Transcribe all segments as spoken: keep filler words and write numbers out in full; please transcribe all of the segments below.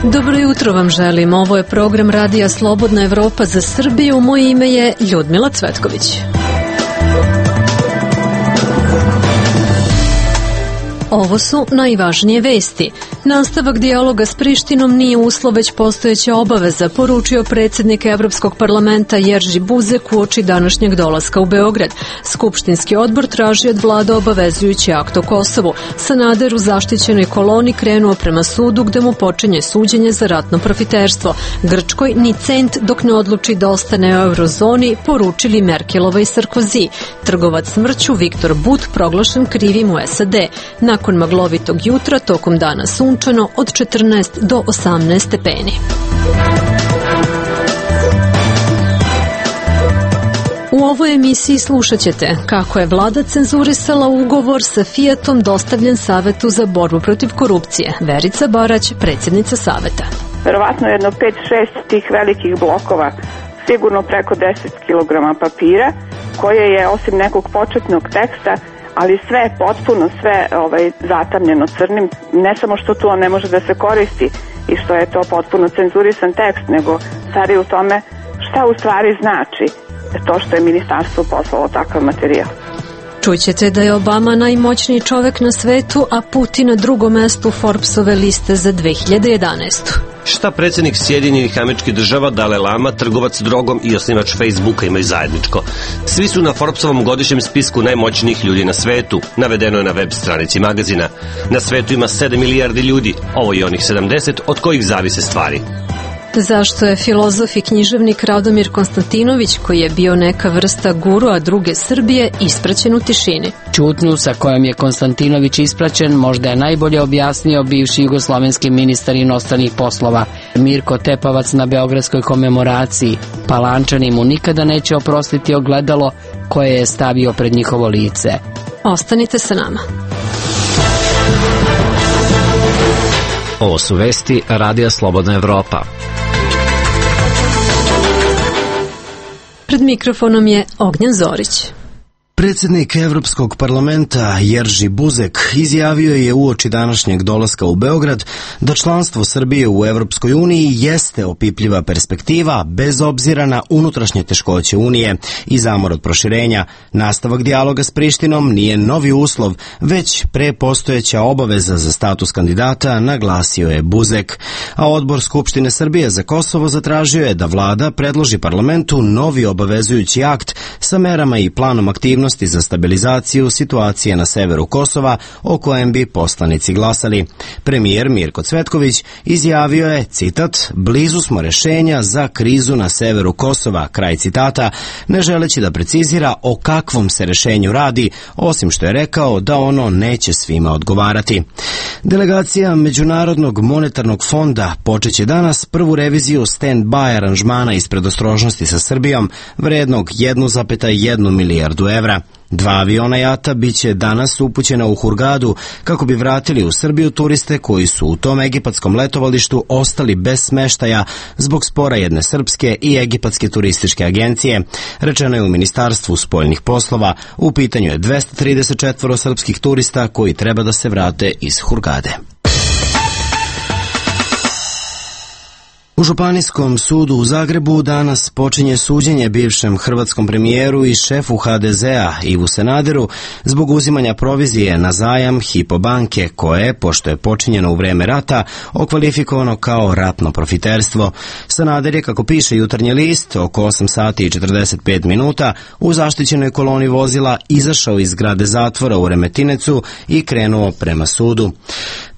Dobro jutro vam želim. Ovo je program Radija Slobodna Evropa za Srbiju. Moje ime je Ljudmila Cvetković. Ovo su najvažnije vesti. Nastavak dijaloga s Prištinom nije uslov, već postojeća obaveza, poručio predsjednik Evropskog parlamenta Jerži Buzek uoči današnjeg dolaska u Beograd. Skupštinski odbor traži od vlade obavezujući akt o Kosovu. Sanader u zaštićenoj koloni krenuo prema sudu gde mu počinje suđenje za ratno profiterstvo. Grčkoj ni cent dok ne odluči da ostane u eurozoni, poručili Merkelova i Sarkozy. Trgovac smrću Viktor But proglašen krivim u S A D. Nakon maglovitog jutra, tokom dana sunčano od četrnaest do osamnaest stepeni. U ovoj emisiji slušat ćete kako je vlada cenzurisala ugovor sa Fiatom dostavljen Savetu za borbu protiv korupcije. Verica Barać, predsjednica Saveta. Verovatno jedno pet šest tih velikih blokova, sigurno preko deset kilograma papira, koje je osim nekog početnog teksta, ali sve, potpuno sve ovaj, zatamljeno crnim, ne samo što to ne može da se koristi i što je to potpuno cenzurisan tekst, nego stvari u tome šta u stvari znači to što je ministarstvo poslalo takav materijal. Čućete da je Obama najmoćniji čovek na svetu, a Putin na drugom mestu Forbesove liste za dve hiljade jedanaestu. Šta predsjednik Sjedinjenih Američkih Država, Dalaj Lama, trgovac drogom i osnivač Facebooka imaju zajedničko? Svi su na Forbesovom godišnjem spisku najmoćnijih ljudi na svetu, navedeno je na web stranici magazina. Na svetu ima sedam milijardi ljudi, ovo je onih sedamdeset od kojih zavise stvari. Zašto je filozof i književnik Radomir Konstantinović, koji je bio neka vrsta guru, a druge Srbije, ispraćen u tišini? Ćutnju sa kojom je Konstantinović ispraćen možda je najbolje objasnio bivši jugoslovenski ministar inostranih poslova Mirko Tepavac na beogradskoj komemoraciji. Palančani mu nikada neće oprostiti ogledalo koje je stavio pred njihovo lice. Ostanite sa nama. Ovo su vesti Radija Slobodna Evropa. Pred mikrofonom je Ognjen Zorić. Predsjednik Evropskog parlamenta Jerži Buzek izjavio je uoči današnjeg dolaska u Beograd da članstvo Srbije u Evropskoj uniji jeste opipljiva perspektiva bez obzira na unutrašnje teškoće Unije i zamor od proširenja. Nastavak dijaloga s Prištinom nije novi uslov, već prepostojeća obaveza za status kandidata, naglasio je Buzek. A odbor Skupštine Srbije za Kosovo zatražio je da vlada predloži parlamentu novi obavezujući akt sa merama i planom aktivnosti za stabilizaciju situacije na severu Kosova, o kojem bi poslanici glasali. Premijer Mirko Cvetković izjavio je, citat, blizu smo rešenja za krizu na severu Kosova, kraj citata, ne želeći da precizira o kakvom se rešenju radi, osim što je rekao da ono neće svima odgovarati. Delegacija Međunarodnog monetarnog fonda počeće danas prvu reviziju stand-by aranžmana iz predostrožnosti sa Srbijom, vrednog jednu zarez jednu milijardu evra. Dva aviona jata biće danas upućena u Hurgadu kako bi vratili u Srbiju turiste koji su u tom egipatskom letovalištu ostali bez smeštaja zbog spora jedne srpske i egipatske turističke agencije. Rečeno je u Ministarstvu spoljnih poslova, u pitanju je dvesta trideset četvoro srpskih turista koji treba da se vrate iz Hurgade. U Županijskom sudu u Zagrebu danas počinje suđenje bivšem hrvatskom premijeru i šefu ha de zea Ivu Sanaderu zbog uzimanja provizije na zajam Hypo banke koje, pošto je počinjeno u vreme rata, okvalifikovano kao ratno profiterstvo. Sanader je, kako piše Jutarnji list, oko osam sati i četrdeset pet minuta u zaštićenoj koloni vozila izašao iz zgrade zatvora u Remetincu i krenuo prema sudu.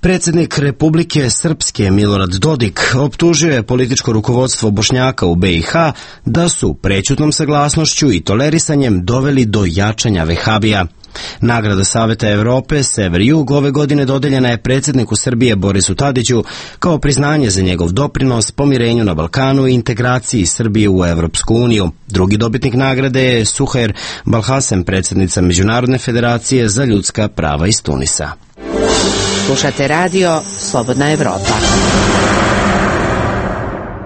Predsjednik Republike Srpske Milorad Dodik optužio je političko rukovodstvo Bošnjaka u be i ha da su prećutnom saglasnošću i tolerisanjem doveli do jačanja vehabija. Nagrada Saveta Evrope Sever-Jug ove godine dodeljena je predsjedniku Srbije Borisu Tadiću kao priznanje za njegov doprinos pomirenju na Balkanu i integraciji Srbije u Evropsku uniju. Drugi dobitnik nagrade je Suhair Balhasem, predsjednica Međunarodne federacije za ljudska prava iz Tunisa. Slušate radio Slobodna Evropa.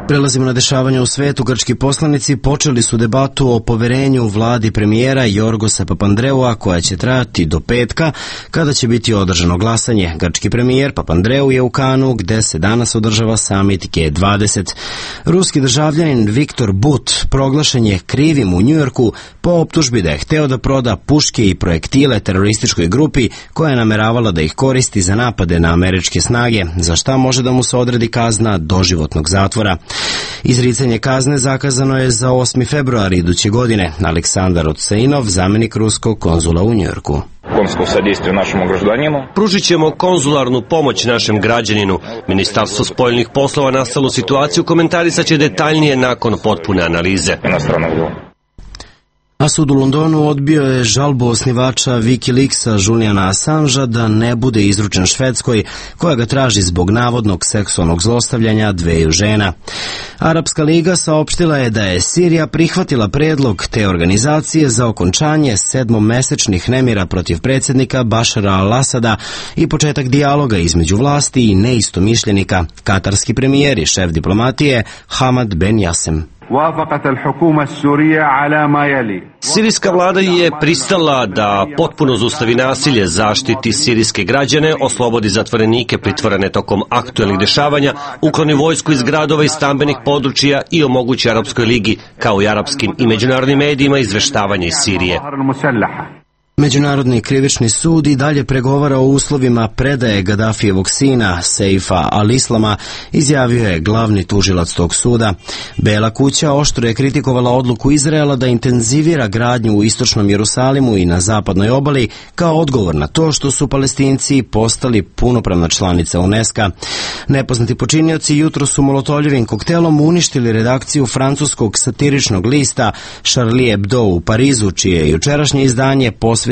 Prelazimo na dešavanja u svetu. Grčki poslanici počeli su debatu o poverenju vladi premijera Jorgosa Papandreua koja će trajati do petka kada će biti održano glasanje. Grčki premijer Papandreou je u Kanu gde se danas održava samit G dvadeset. Ruski državljanin Viktor But proglašen je krivim u Njujorku po optužbi da je hteo da proda puške i projektile terorističkoj grupi koja je nameravala da ih koristi za napade na američke snage, za šta može da mu se odredi kazna doživotnog zatvora. Izricanje kazne zakazano je za osmi februar iduće godine. Aleksandar Otseinov, zamenik ruskog konzula u Njujorku. Pružit ćemo konzularnu pomoć našem građaninu. Ministarstvo spoljnih poslova nastalu situaciju komentarisat će detaljnije nakon potpune analize. A sud u Londonu odbio je žalbu osnivača Wikileaksa Juliana Assangea da ne bude izručen Švedskoj, koja ga traži zbog navodnog seksualnog zlostavljanja dveju žena. Arapska liga saopštila je da je Sirija prihvatila predlog te organizacije za okončanje sedmomesečnih nemira protiv predsjednika Bašara al-Asada i početak dijaloga između vlasti i neistomišljenika. Katarski premijer i šef diplomatije Hamad Ben Jasem. Sirijska vlada je pristala da potpuno zaustavi nasilje, zaštiti sirijske građane, oslobodi zatvorenike pritvorene tokom aktuelnih dešavanja, ukloni vojsku iz gradova i stambenih područja i omogući Arapskoj ligi, kao i arapskim i međunarodnim medijima, izveštavanje iz Sirije. Međunarodni krivični sud i dalje pregovara o uslovima predaje Gadafijevog sina, Seifa al-Islama, izjavio je glavni tužilac tog suda. Bela kuća oštro je kritikovala odluku Izraela da intenzivira gradnju u istočnom Jerusalimu i na zapadnoj obali kao odgovor na to što su Palestinci postali punopravna članica UNESCO. Nepoznati počinioci jutro su molotovljevim koktelom uništili redakciju francuskog satiričnog lista Charlie Hebdo u Parizu, čije je jučerašnje izdanje posvećeno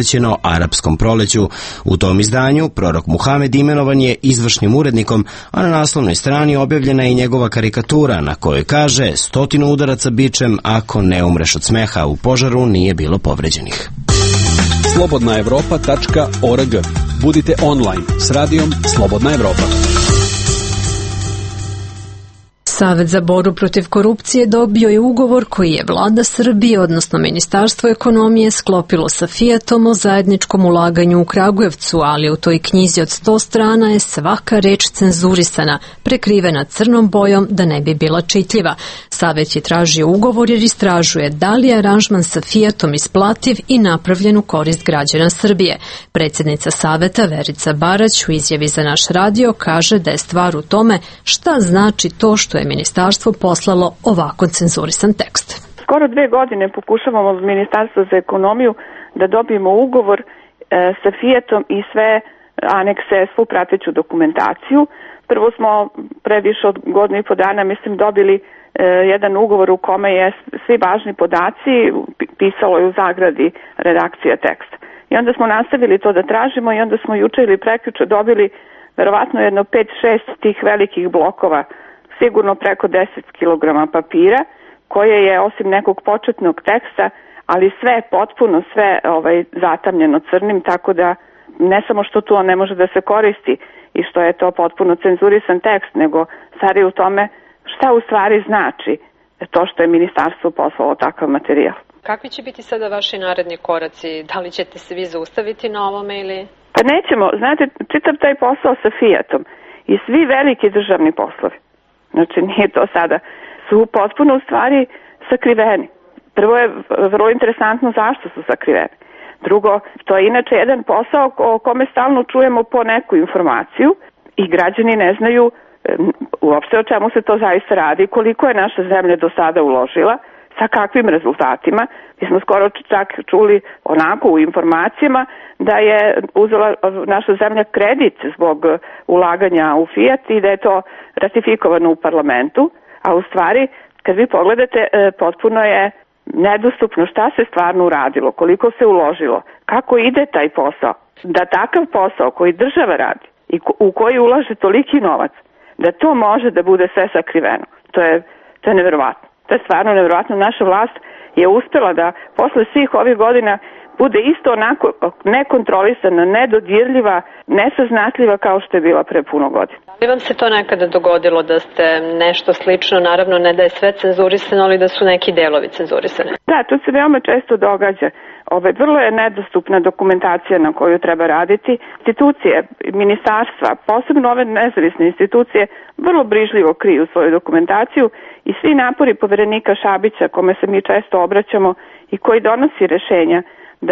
arapskom proleću. U tom izdanju prorok Muhamed imenovan je izvršnim urednikom, a na naslovnoj strani objavljena je i njegova karikatura na kojoj kaže stotinu udaraca bičem ako ne umreš od smeha, u požaru nije bilo povređenih. slobodna evropa tačka org. Budite online s radijom Slobodna Evropa. Savet za borbu protiv korupcije dobio je ugovor koji je vlada Srbije, odnosno Ministarstvo ekonomije, sklopilo sa Fijatom o zajedničkom ulaganju u Kragujevcu, ali u toj knjizi od sto strana je svaka reč cenzurisana, prekrivena crnom bojom da ne bi bila čitljiva. Savet je tražio ugovor jer istražuje da li je aranžman sa Fijatom isplativ i napravljen u korist građana Srbije. Predsjednica Saveta Verica Barać u izjavi za naš radio kaže da je stvar u tome šta znači to što je ministarstvo poslalo ovako cenzurisan tekst. Skoro dve godine pokušavamo od Ministarstva za ekonomiju da dobijemo ugovor e, sa Fijatom i sve anekse, svu prateću dokumentaciju. Prvo smo pre više od godinu i po dana, mislim, dobili e, jedan ugovor u kome je svi važni podaci, pisalo je u zagradi redakcija teksta. I onda smo nastavili to da tražimo i onda smo juče ili prekjuče dobili verovatno jedno pet šest tih velikih blokova, sigurno preko deset kilograma papira, koje je osim nekog početnog teksta, ali sve potpuno, sve ovaj, zatamljeno crnim, tako da ne samo što to ne može da se koristi i što je to potpuno cenzurisan tekst, nego stvar je u tome šta u stvari znači to što je ministarstvo poslalo takav materijal. Kakvi će biti sada vaši naredni koraci? Da li ćete se vi zaustaviti na ovome ili... Pa nećemo. Znate, čitav taj posao sa Fijatom i svi veliki državni poslovi, znači nije to sada, su potpuno u stvari sakriveni. Prvo je vrlo interesantno zašto su sakriveni. Drugo, to je inače jedan posao o kome stalno čujemo po neku informaciju i građani ne znaju uopšte o čemu se to zaista radi, koliko je naša zemlja do sada uložila, sa kakvim rezultatima. Mi smo skoro čak čuli onako u informacijama da je uzela naša zemlja kredit zbog ulaganja u Fijat i da je to ratifikovano u parlamentu, a u stvari kad vi pogledate potpuno je nedostupno šta se stvarno uradilo, koliko se uložilo, kako ide taj posao, da takav posao koji država radi i u koji ulaže toliki novac, da to može da bude sve sakriveno. To je, to je neverovatno. To je stvarno neverovatno. Naša vlast je uspela da posle svih ovih godina bude isto onako nekontrolisana, nedodirljiva, nesaznatljiva kao što je bila pre puno godina. Da vam se to nekada dogodilo da ste nešto slično, naravno ne da je sve cenzurisano, ali da su neki delovi cenzurisani? Da, to se veoma često događa. Ove, vrlo je nedostupna dokumentacija na koju treba raditi. Institucije, ministarstva, posebno ove nezavisne institucije, vrlo brižljivo kriju svoju dokumentaciju i svi napori poverenika Šabića, kome se mi često obraćamo i koji donosi rešenja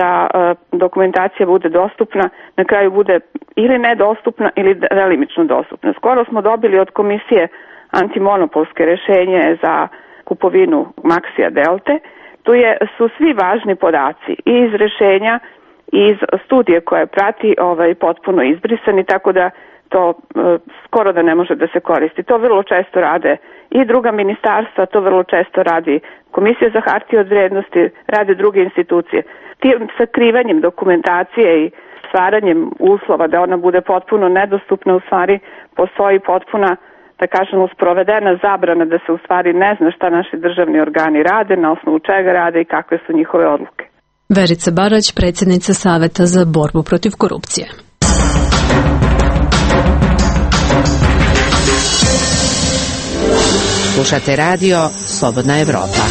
da e, dokumentacija bude dostupna, na kraju bude ili nedostupna ili delimično dostupna. Skoro smo dobili od komisije antimonopolske rešenje za kupovinu Maxija Delte. Tu je, su svi važni podaci i iz rešenja i iz studije koje prati ovaj, potpuno izbrisani, tako da to e, skoro da ne može da se koristi. To vrlo često rade i druga ministarstva, to vrlo često radi Komisija za hartije od vrednosti, rade druge institucije. Tim sakrivanjem dokumentacije i stvaranjem uslova da ona bude potpuno nedostupna, u stvari postoji potpuna, da kažemo, sprovedena zabrana da se u stvari ne zna šta naši državni organi rade, na osnovu čega rade i kakve su njihove odluke. Verica Barać, predsjednica Saveta za borbu protiv korupcije. Slušate radio Slobodna Evropa.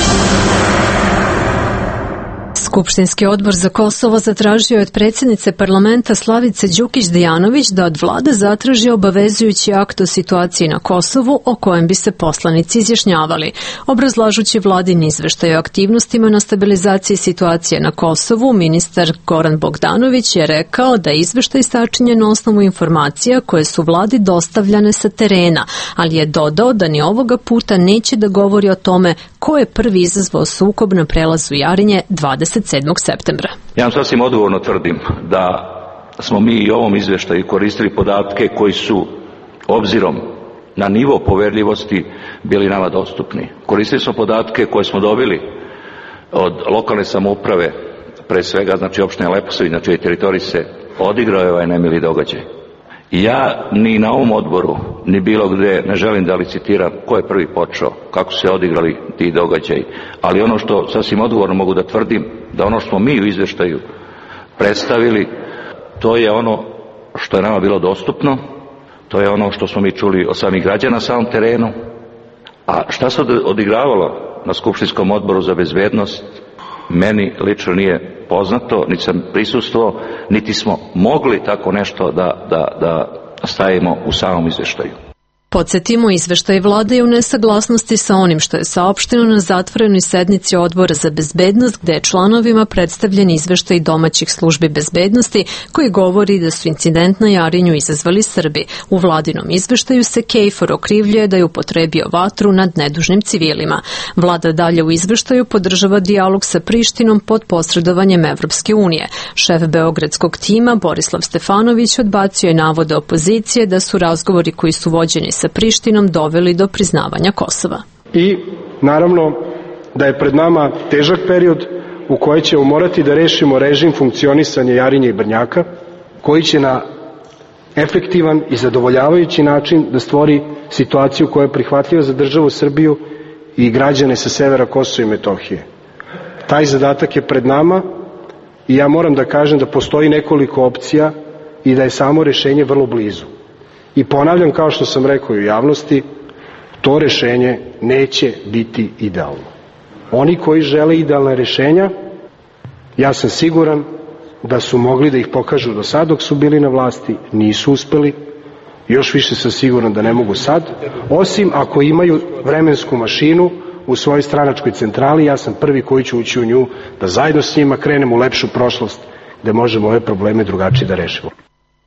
Skupštinski odbor za Kosovo zatražio je od predsjednice parlamenta Slavice Đukić-Dejanović da od vlade zatraži obavezujući akt o situaciji na Kosovu o kojem bi se poslanici izjašnjavali. Obrazlažući vladin izveštaj o aktivnostima na stabilizaciji situacije na Kosovu, ministar Goran Bogdanović je rekao da je izveštaj sačinjen na osnovu informacija koje su vladi dostavljane sa terena, ali je dodao da ni ovoga puta neće da govori o tome ko je prvi izazvao sukob na prelazu Jarinje dvadeset sedmog septembra. Ja vam sasvim odgovorno tvrdim da smo mi i ovom izveštaju koristili podatke koji su obzirom na nivo poverljivosti bili nama dostupni. Koristili smo podatke koje smo dobili od lokalne samouprave, pre svega znači opštine Leposavić, na čijoj teritoriji se odigrao je ovaj nemili događaj. I ja ni na ovom odboru, ni bilo gde ne želim da licitiram ko je prvi počeo, kako se odigrali ti događaji, ali ono što sasvim odgovorno mogu da tvrdim, da ono što smo mi u izveštaju predstavili, to je ono što je nama bilo dostupno, to je ono što smo mi čuli od samih građana na samom terenu, a šta se odigravalo na Skupštinskom odboru za bezbednost, meni lično nije poznato, niti sam prisustvovao, niti smo mogli tako nešto da, da, da stavimo u samom izveštaju. Podsjetimo, izveštaj vlade je u nesaglasnosti sa onim što je saopšteno na zatvorenoj sednici Odbora za bezbednost, gde je članovima predstavljen izveštaj domaćih službi bezbednosti koji govori da su incident na Jarinju izazvali Srbi. U vladinom izveštaju se Kejfor okrivljuje da je upotrebio vatru nad nedužnim civilima. Vlada dalje u izveštaju podržava dijalog sa Prištinom pod posredovanjem Evropske unije. Šef beogradskog tima Borislav Stefanović odbacio je navode opozicije da su razgovori koji su vođeni sa Prištinom doveli do priznavanja Kosova. I naravno da je pred nama težak period u kojoj ćemo morati da rešimo režim funkcionisanja Jarinje i Brnjaka, koji će na efektivan i zadovoljavajući način da stvori situaciju koja je prihvatljiva za državu Srbiju i građane sa severa Kosova i Metohije. Taj zadatak je pred nama i ja moram da kažem da postoji nekoliko opcija i da je samo rešenje vrlo blizu. I ponavljam, kao što sam rekao i u javnosti, to rešenje neće biti idealno. Oni koji žele idealna rešenja, ja sam siguran da su mogli da ih pokažu do sad dok su bili na vlasti, nisu uspeli, još više sam siguran da ne mogu sad, osim ako imaju vremensku mašinu u svojoj stranačkoj centrali, ja sam prvi koji ću ući u nju, da zajedno s njima krenemo u lepšu prošlost, da možemo ove probleme drugačije da rešimo.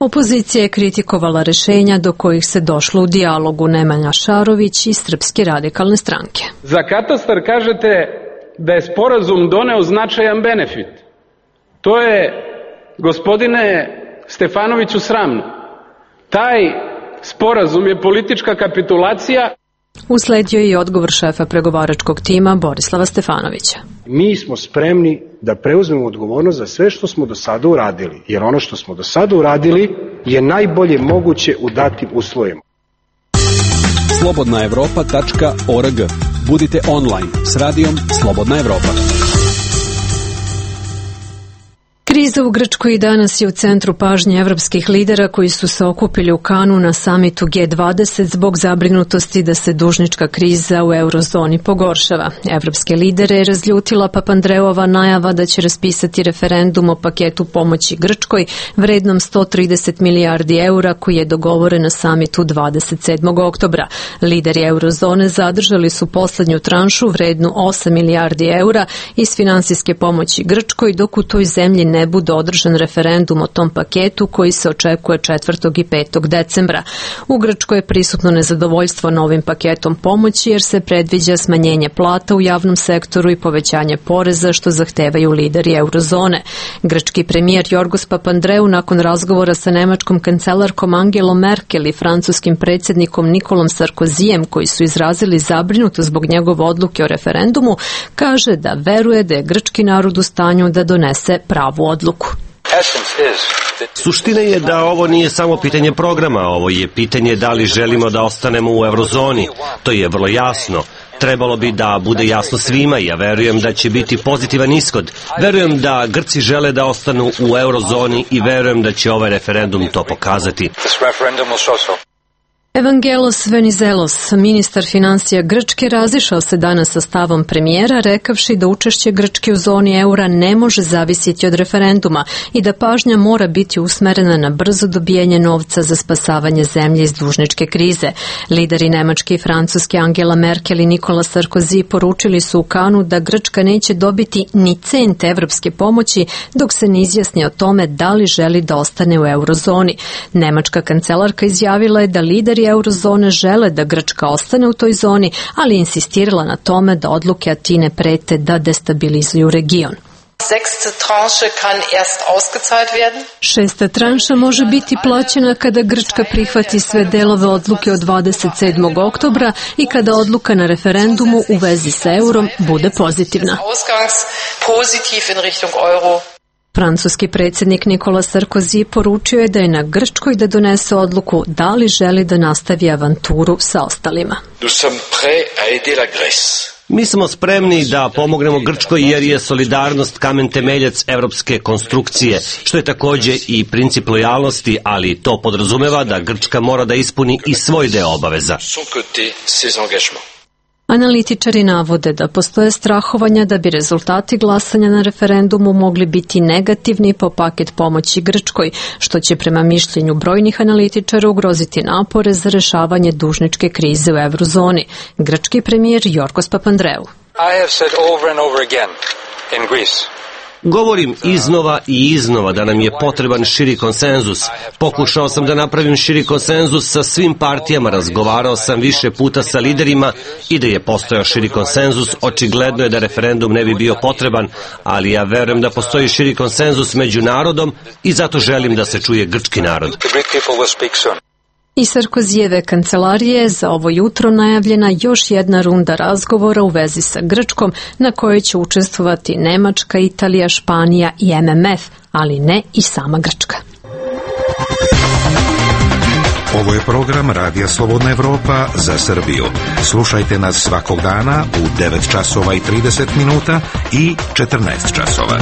Opozicija je kritikovala rešenja do kojih se došlo u dijalogu. Nemanja Šarović iz Srpske radikalne stranke. Za katastar kažete da je sporazum doneo značajan benefit. To je, gospodine Stefanoviću, sramno. Taj sporazum je politička kapitulacija. Usledio je i odgovor šefa pregovaračkog tima Borislava Stefanovića. Mi smo spremni da preuzmemo odgovornost za sve što smo do sada uradili, jer ono što smo do sada uradili je najbolje moguće u datim uslovima. slobodna evropa tačka org. Budite online s radijom Slobodna Evropa. Kriza Kriza u Grčkoj danas je u centru pažnje evropskih lidera koji su se okupili u Kanu na samitu G dvadeset zbog zabrinutosti da se dužnička kriza u eurozoni pogoršava. Evropske lidere je razljutila Papandreova najava da će raspisati referendum o paketu pomoći Grčkoj vrednom sto trideset milijardi eura koji je dogovoren na samitu dvadeset sedmog oktobra. Lideri eurozone zadržali su poslednju tranšu vrednu osam milijardi eura iz finansijske pomoći Grčkoj, dok u toj zemlji ne bude održan referendum o tom paketu koji se očekuje četvrtog i petog decembra. U Grčkoj je prisutno nezadovoljstvo novim paketom pomoći jer se predviđa smanjenje plata u javnom sektoru i povećanje poreza što zahtevaju lideri eurozone. Grčki premijer Jorgos Papandreou nakon razgovora sa nemačkom kancelarkom Angelom Merkel i francuskim predsjednikom Nikolom Sarkozijem koji su izrazili zabrinutost zbog njegove odluke o referendumu, kaže da veruje da je grčki narod u stanju da donese pravu odluku. Suština je da ovo nije samo pitanje programa, ovo je pitanje da li želimo da ostanemo u eurozoni. To je vrlo jasno. Trebalo bi da bude jasno svima i ja verujem da će biti pozitivan ishod. Verujem da Grci žele da ostanu u eurozoni i verujem da će ovaj referendum to pokazati. Evangelos Venizelos, ministar financija Grčke, razišao se danas sa stavom premijera, rekavši da učešće Grčke u zoni eura ne može zavisiti od referenduma i da pažnja mora biti usmerena na brzo dobijanje novca za spasavanje zemlje iz dužničke krize. Lideri Nemačke i Francuske Angela Merkel i Nikola Sarkozy poručili su u Kanu da Grčka neće dobiti ni cent evropske pomoći dok se ne izjasni o tome da li želi da ostane u eurozoni. Nemačka kancelarka izjavila je da lideri eurozone žele da Grčka ostane u toj zoni, ali insistirala na tome da odluke Atine prete da destabilizuju region. Šesta tranša može biti plaćena kada Grčka prihvati sve delove odluke od dvadeset sedmog oktobra i kada odluka na referendumu u vezi sa eurom bude pozitivna. Francuski predsjednik Nikola Sarkozy poručio je da je na Grčkoj da donese odluku da li želi da nastavi avanturu sa ostalima. Mi smo spremni da pomognemo Grčkoj jer je solidarnost kamen temeljac evropske konstrukcije, što je takođe i princip lojalnosti, ali to podrazumeva da Grčka mora da ispuni i svoj deo obaveza. Analitičari navode da postoje strahovanja da bi rezultati glasanja na referendumu mogli biti negativni po paket pomoći Grčkoj, što će prema mišljenju brojnih analitičara ugroziti napore za rešavanje dužničke krize u eurozoni. Grčki premijer Jorgos Papandreou. I have said over and over again in Greece. Govorim iznova i iznova da nam je potreban širi konsenzus. Pokušao sam da napravim širi konsenzus sa svim partijama, razgovarao sam više puta sa liderima i da je postojao širi konsenzus. Očigledno je da referendum ne bi bio potreban, ali ja verujem da postoji širi konsenzus među narodom i zato želim da se čuje grčki narod. I Sarkozijeve kancelarije za ovo jutro najavljena još jedna runda razgovora u vezi sa Grčkom na kojoj će učestvovati Nemačka, Italija, Španija i M M F, ali ne i sama Grčka. Ovo je program Radija Slobodna Evropa za Srbiju. Slušajte nas svakog dana u devet časova i trideset minuta i četrnaest časova.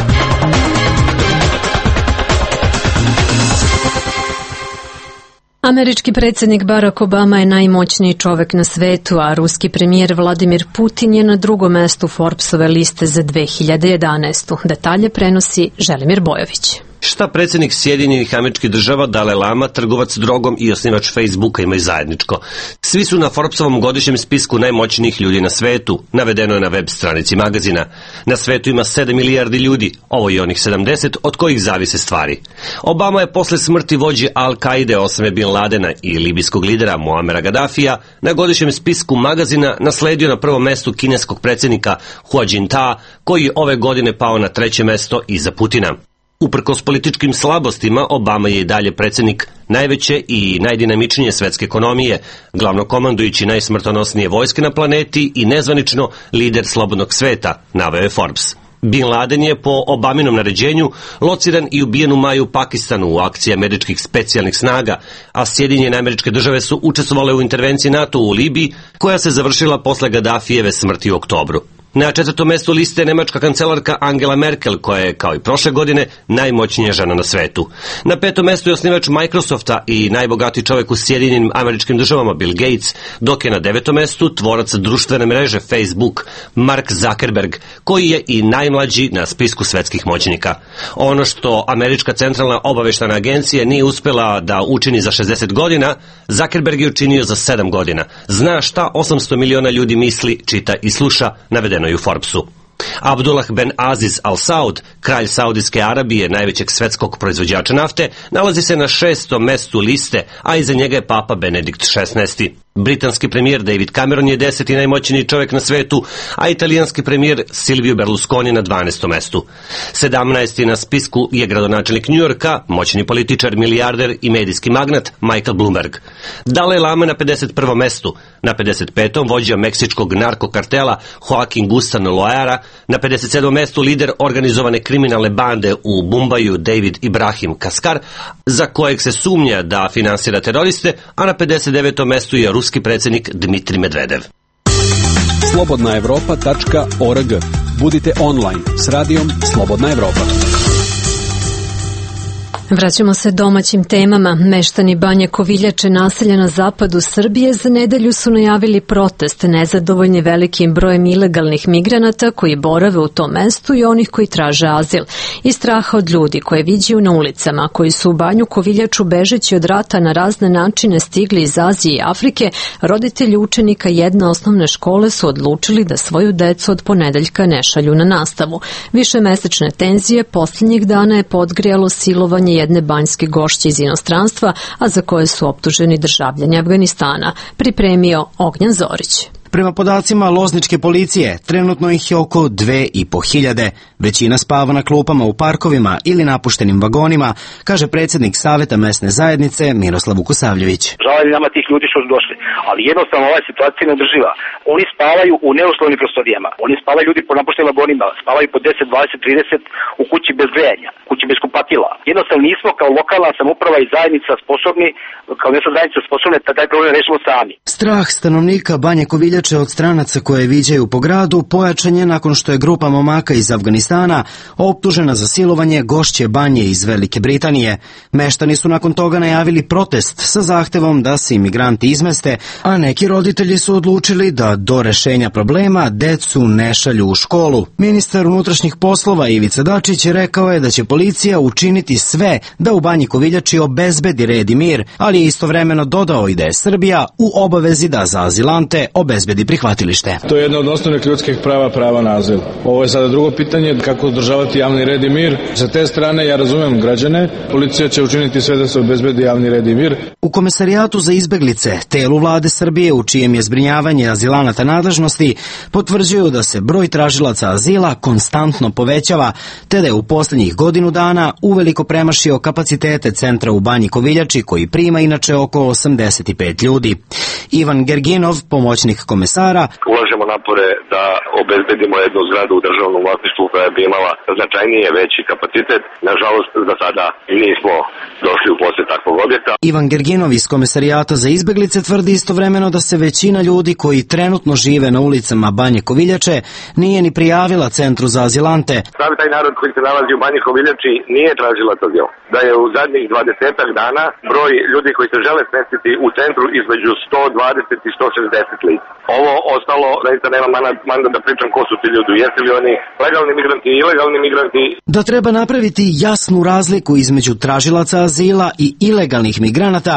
Američki predsjednik Barack Obama je najmoćniji čovek na svetu, a ruski premijer Vladimir Putin je na drugom mestu Forbesove liste za dve hiljade jedanaestu. Detalje prenosi Želimir Bojović. Šta predsjednik Sjedinjenih Američkih Država Dalaj Lama, trgovac drogom i osnivač Facebooka imaju zajedničko? Svi su na Forbesovom godišnjem spisku najmoćnijih ljudi na svetu, navedeno je na web stranici magazina. Na svetu ima sedam milijardi ljudi, ovo je onih sedamdeset od kojih zavise stvari. Obama je posle smrti vođe Al-Kaide Osame Bin Ladena i libijskog lidera Muamera Gaddafija na godišnjem spisku magazina nasledio na prvom mestu kineskog predsjednika Hu Jintao, koji je ove godine pao na treće mesto iza Putina. Uprkos političkim slabostima, Obama je i dalje predsjednik najveće i najdinamičnije svetske ekonomije, glavnokomandujući najsmrtonosnije vojske na planeti i nezvanično lider slobodnog sveta, naveo je Forbes. Bin Laden je po Obaminom naređenju lociran i ubijen u maju u Pakistanu u akciji američkih specijalnih snaga, a Sjedinjene Američke Države su učestvovale u intervenciji NATO u Libiji, koja se završila posle Gaddafijeve smrti u oktobru. Na četvrtom mestu liste je nemačka kancelarka Angela Merkel, koja je, kao i prošle godine, najmoćnija žena na svetu. Na petom mestu je osnivač Microsofta i najbogatiji čovjek u Sjedinjenim Američkim Državama Bill Gates, dok je na devetom mestu tvorac društvene mreže Facebook Mark Zuckerberg, koji je i najmlađi na spisku svetskih moćnika. Ono što Američka centralna obaveštajna agencija nije uspela da učini za šezdeset godina, Zuckerberg je učinio za sedam godina. Zna šta osamsto miliona ljudi misli, čita i sluša, navedeno je u Forbesu. Abdullah Ben Aziz Al Saud, kralj Saudijske Arabije, najvećeg svetskog proizvođača nafte, nalazi se na šestom mestu liste, a iza njega je papa Benedikt šesnaesti. Britanski premijer David Cameron je deseti najmoćniji čovjek na svetu, a italijanski premijer Silvio Berlusconi na dvanaestom mestu. sedamnaesti na spisku je gradonačelnik Njujorka, moćni političar, milijarder i medijski magnat Michael Bloomberg. Dalaj Lama na pedeset prvom mestu, na pedeset petom vođa meksičkog narkokartela Joaquin Guzman Loera, na pedeset sedmom mestu lider organizovane kriminalne bande u Mumbaju David Ibrahim Kaskar, za kojeg se sumnja da finansira teroriste, a na pedeset devetom mestu je ruski predsjednik Dmitrij Medvedev. slobodna evropa tačka org. Budite online s radijom Slobodna Evropa. Vraćamo se domaćim temama. Meštani Banje Koviljače, naselja na zapadu Srbije, za nedelju su najavili protest nezadovoljni velikim brojem ilegalnih migranata koji borave u tom mestu i onih koji traže azil. I straha od ljudi koje viđaju na ulicama, koji su u Banju Koviljaču bežeći od rata na razne načine stigli iz Azije i Afrike, roditelji učenika jedne osnovne škole su odlučili da svoju decu od ponedeljka ne šalju na nastavu. Višemesečne tenzije posljednjih dana je podgrijalo silovanje jedne banjske gošće iz inostranstva, a za koje su optuženi državljani Afganistana. Pripremio Ognjan Zorić. Prema podacima lozničke policije, trenutno ih je oko dve i po hiljade. Većina spava na klupama u parkovima ili napuštenim vagonima, kaže predsjednik Saveta mesne zajednice Miroslav Vukosavljević. Žao je nama tih ljudi što su došli, ali jednostavno ova situacija ne održiva. Oni spavaju u neuslovnim prostorijama, oni spavaju ljudi po napuštenim vagonima, spavaju po deset, dvadeset, trideset u kući bez grejanja, kući bez kupatila. Jednostavno nismo kao lokalna samouprava i zajednica sposobni, kao mesna zajednica sposobne da taj problem rešimo sami. Strah stanovnika Banje Koviljače od stranaca koje viđaju po gradu pojačan je nakon što je grupa momaka iz Afganistana optužena za silovanje gošće Banje iz Velike Britanije. Meštani su nakon toga najavili protest sa zahtevom da se imigranti izmeste, a neki roditelji su odlučili da do rešenja problema decu ne šalju u školu. Ministar unutrašnjih poslova Ivica Dačić rekao je da će policija učiniti sve da u Banji Koviljači obezbedi red i mir, ali je istovremeno dodao i da je Srbija u obavezi da za azilante obezbedi prihvatilište. To je jedno od osnovnih ljudskih prava, prava na azil. Ovo je sada drugo pitanje, kako održavati javni red i mir. Sa te strane ja razumem građane, policija će učiniti sve da se obezbedi javni red i mir. U Komesarijatu za izbeglice, telu vlade Srbije u čijem je zbrinjavanje azilanata nadležnosti, potvrđuju da se broj tražilaca azila konstantno povećava, te da je u posljednjih godinu dana uveliko premašio kapacitete centra u Banji Koviljači, koji prima inače oko osamdeset pet ljudi. Ivan Gerginov, pomoćnik komesara, ulažemo napore da obezbedimo jednu zgradu u državnom vlasništvu koja bi imala značajnije veći kapacitet. Nažalost, za sada nismo došli u posjed takvog objekta. Ivan Gerginov iz Komesarijata za izbeglice tvrdi istovremeno da se većina ljudi koji trenutno žive na ulicama Banje Koviljače nije ni prijavila centru za azilante. Pravi taj narod koji se nalazi u Banji Koviljači nije tražilac azil. Da je u zadnjih dvadesetak dana broj ljudi koji se žele smestiti u centru između sto dvadeset i sto šezdeset lica. Ovo ostalo, zaista nema mandat da pričam ko su ti ljudi, jesu li oni legalni migranti i ilegalni migranti. Da treba napraviti jasnu razliku između tražilaca azila i ilegalnih migranata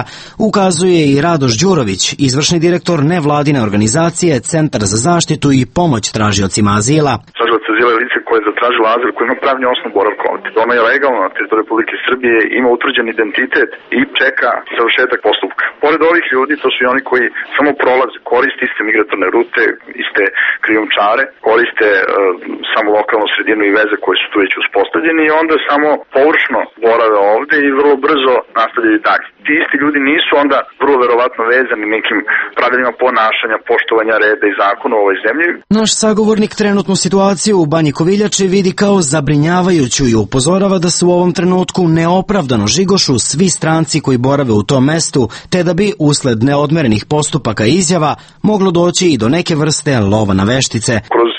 ukazuje i Radoš Đurović, izvršni direktor nevladine organizacije Centar za zaštitu i pomoć tražiocima azila. Tražilac azila je lice koje je zatražilo azil, koje ima pravni osnov boravka ovdje. Ono je legalno na teritoriju Republike Srbije, ima utvrđen identitet i čeka završetak postupka. Pored ovih ljudi, to su i oni koji samo prolaze, koriste iste migratorne rute, iste krijumčare, koriste uh, samo lokalnu sredinu i veze koje su tu već uspostavljeni i onda samo površno borave ovde i vrlo brzo nastavljaju dalje. Ti isti ljudi nisu onda vrlo verovatno vezani nekim pravilima ponašanja, poštovanja reda i zakona u ovoj zemlji. Naš sagovornik trenutnu situaciju u Banji Koviljači vidi kao zabrinjavajuću i upozorava da se u ovom trenutku neopravdano žigošu svi stranci koji borave u tom mestu, te da bi usled neodmerenih postupaka i izjava moglo doći i do neke vrste lova na veštice. Kroz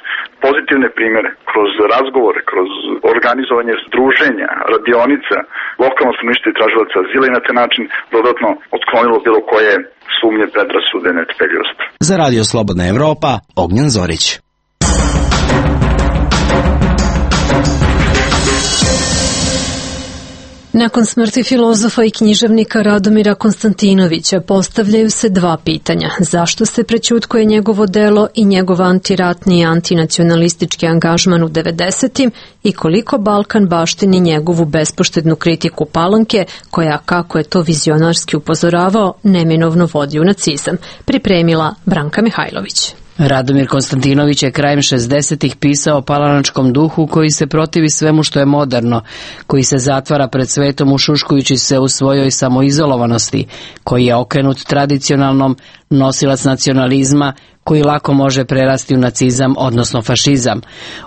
pozitivne primere, kroz razgovore, kroz organizovanje druženja, radionica, lokalno stanovništvo i tražilaca azila i na taj način dodatno otklonilo bilo koje sumnje, predrasude, netrpeljivost. Za Radio Slobodna Evropa, Ognjen Zorić. Nakon smrti filozofa i književnika Radomira Konstantinovića postavljaju se dva pitanja. Zašto se prećutkuje njegovo delo i njegov antiratni i antinacionalistički angažman u devedesetim i koliko Balkan baštini njegovu bespoštednu kritiku Palanke, koja, kako je to vizionarski upozoravao, neminovno vodi u nacizam. Pripremila Branka Mihajlović. Radomir Konstantinović je krajem šezdesetih pisao o palanačkom duhu koji se protivi svemu što je moderno, koji se zatvara pred svetom ušuškujući se u svojoj samoizolovanosti, koji je okrenut tradicionalnom, nosilac nacionalizma, koji lako može prerasti u nacizam, odnosno fašizam.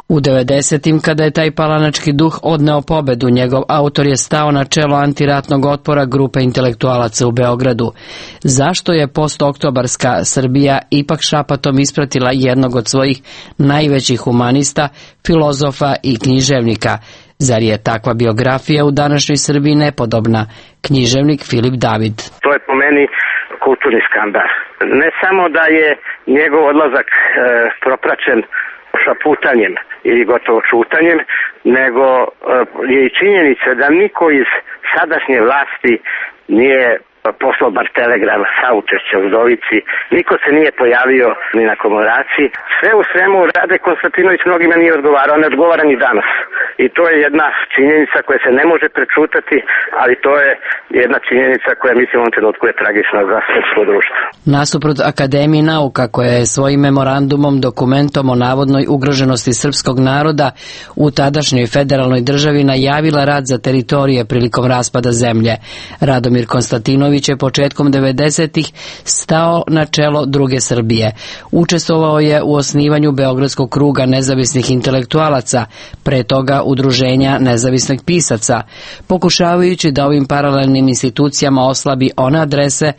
U devedesetim, kada je taj palanački duh odneo pobedu, njegov autor je stao na čelo antiratnog otpora grupe intelektualaca u Beogradu. Zašto je postoktobarska Srbija ipak šapatom ispratila jednog od svojih najvećih humanista, filozofa i književnika? Zar je takva biografija u današnjoj Srbiji nepodobna? Književnik Filip David. To je po meni kulturni skandal. Ne samo da je njegov odlazak e, propraćen šaputanjem ili gotovo čutanjem, nego e, je i činjenica da niko iz sadašnje vlasti nije poslao bar telegram saučešća u Udovici, niko se nije pojavio ni na komemoraciji. Sve u svemu Rade Konstantinović mnogima nije odgovarao, ne odgovara ni danas. I to je jedna činjenica koja se ne može prečutati, ali to je jedna činjenica koja mislim u ovom trenutku je tragična za srpsko društvo. Nasuprot Akademiji nauka, koja je svojim memorandumom, dokumentom o navodnoj ugroženosti srpskog naroda u tadašnjoj federalnoj državi najavila rat za teritorije prilikom raspada zemlje, Radomir Konstantinović je početkom devedesetih stao na čelo druge Srbije. Učestvovao je u osnivanju Beogradskog kruga nezavisnih intelektualaca, pre toga Udruženja nezavisnih pisaca, pokušavajući da ovim paralelnim institucijama oslabi one adrese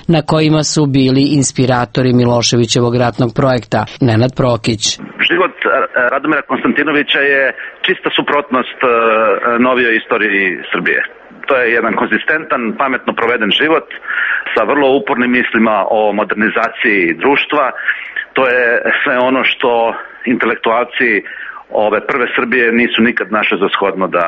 na kojima su bili inspiratori Miloševićevog ratnog projekta. Nenad Prokić. Život Radomira Konstantinovića je čista suprotnost novijoj istoriji Srbije. To je jedan konzistentan, pametno proveden život sa vrlo upornim mislima o modernizaciji društva. To je sve ono što intelektualci ove prve Srbije nisu nikad našli za shodno da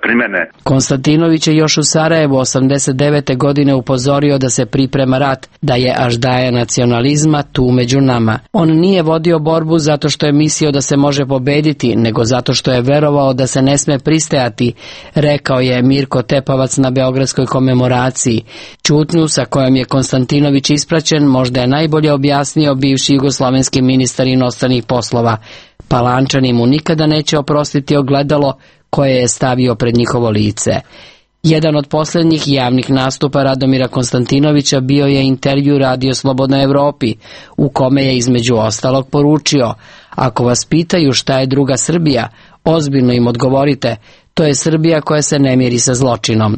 primene. Konstantinović je još u Sarajevu osamdeset devete godine upozorio da se priprema rat, da je aždaja nacionalizma tu među nama. On nije vodio borbu zato što je mislio da se može pobediti, nego zato što je verovao da se ne sme pristajati, rekao je Mirko Tepavac na Beogradskoj komemoraciji. Ćutnju sa kojom je Konstantinović ispraćen možda je najbolje objasnio bivši jugoslovenski ministar inostranih poslova. Palančani mu nikada neće oprostiti ogledalo koje je stavio pred njihovo lice. Jedan od posljednjih javnih nastupa Radomira Konstantinovića bio je intervju Radio Slobodnoj Evropi, u kome je između ostalog poručio: ako vas pitaju šta je druga Srbija, ozbiljno im odgovorite, to je Srbija koja se ne miri sa zločinom.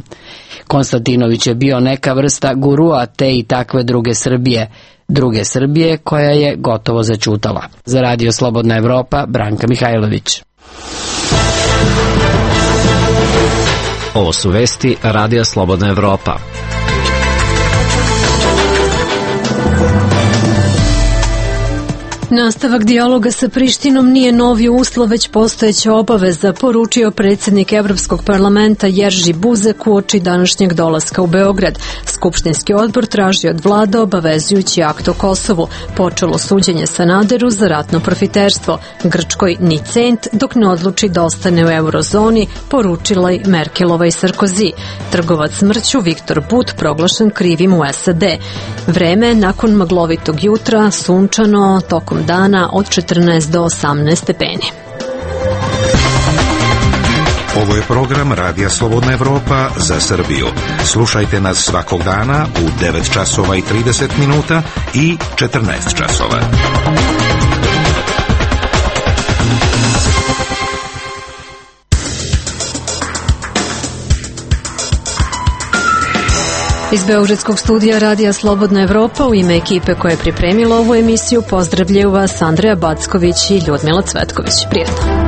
Konstantinović je bio neka vrsta gurua te i takve druge Srbije, druge Srbije koja je gotovo zaćutala. Za Radio Slobodna Evropa, Branka Mihajlović. Ovo su vesti Radija Slobodna Evropa. Nastavak dijaloga sa Prištinom nije novi uslov, već postojeća obaveza, poručio predsjednik Evropskog parlamenta Jerži Buzek uoči današnjeg dolaska u Beograd. Skupštinski odbor traži od vlada obavezujući akt o Kosovu. Počelo suđenje Sanaderu za ratno profiterstvo. Grčkoj ni cent dok ne odluči da ostane u eurozoni, poručila i Merkelova i Sarkozy. Trgovac smrću Viktor But proglašen krivim u S A D. Vreme nakon maglovitog jutra, sunčano, tokom dana od četrnaest do osamnaest stepeni. Ovo je program Radija Slobodna Evropa za Srbiju. Slušajte nas svakog dana u devet časova i trideset minuta i četrnaest časova. Iz beogradskog studija Radija Slobodna Evropa u ime ekipe koja je pripremila ovu emisiju pozdravljaju vas Andreja Backović i Ljudmila Cvetković. Prijetno.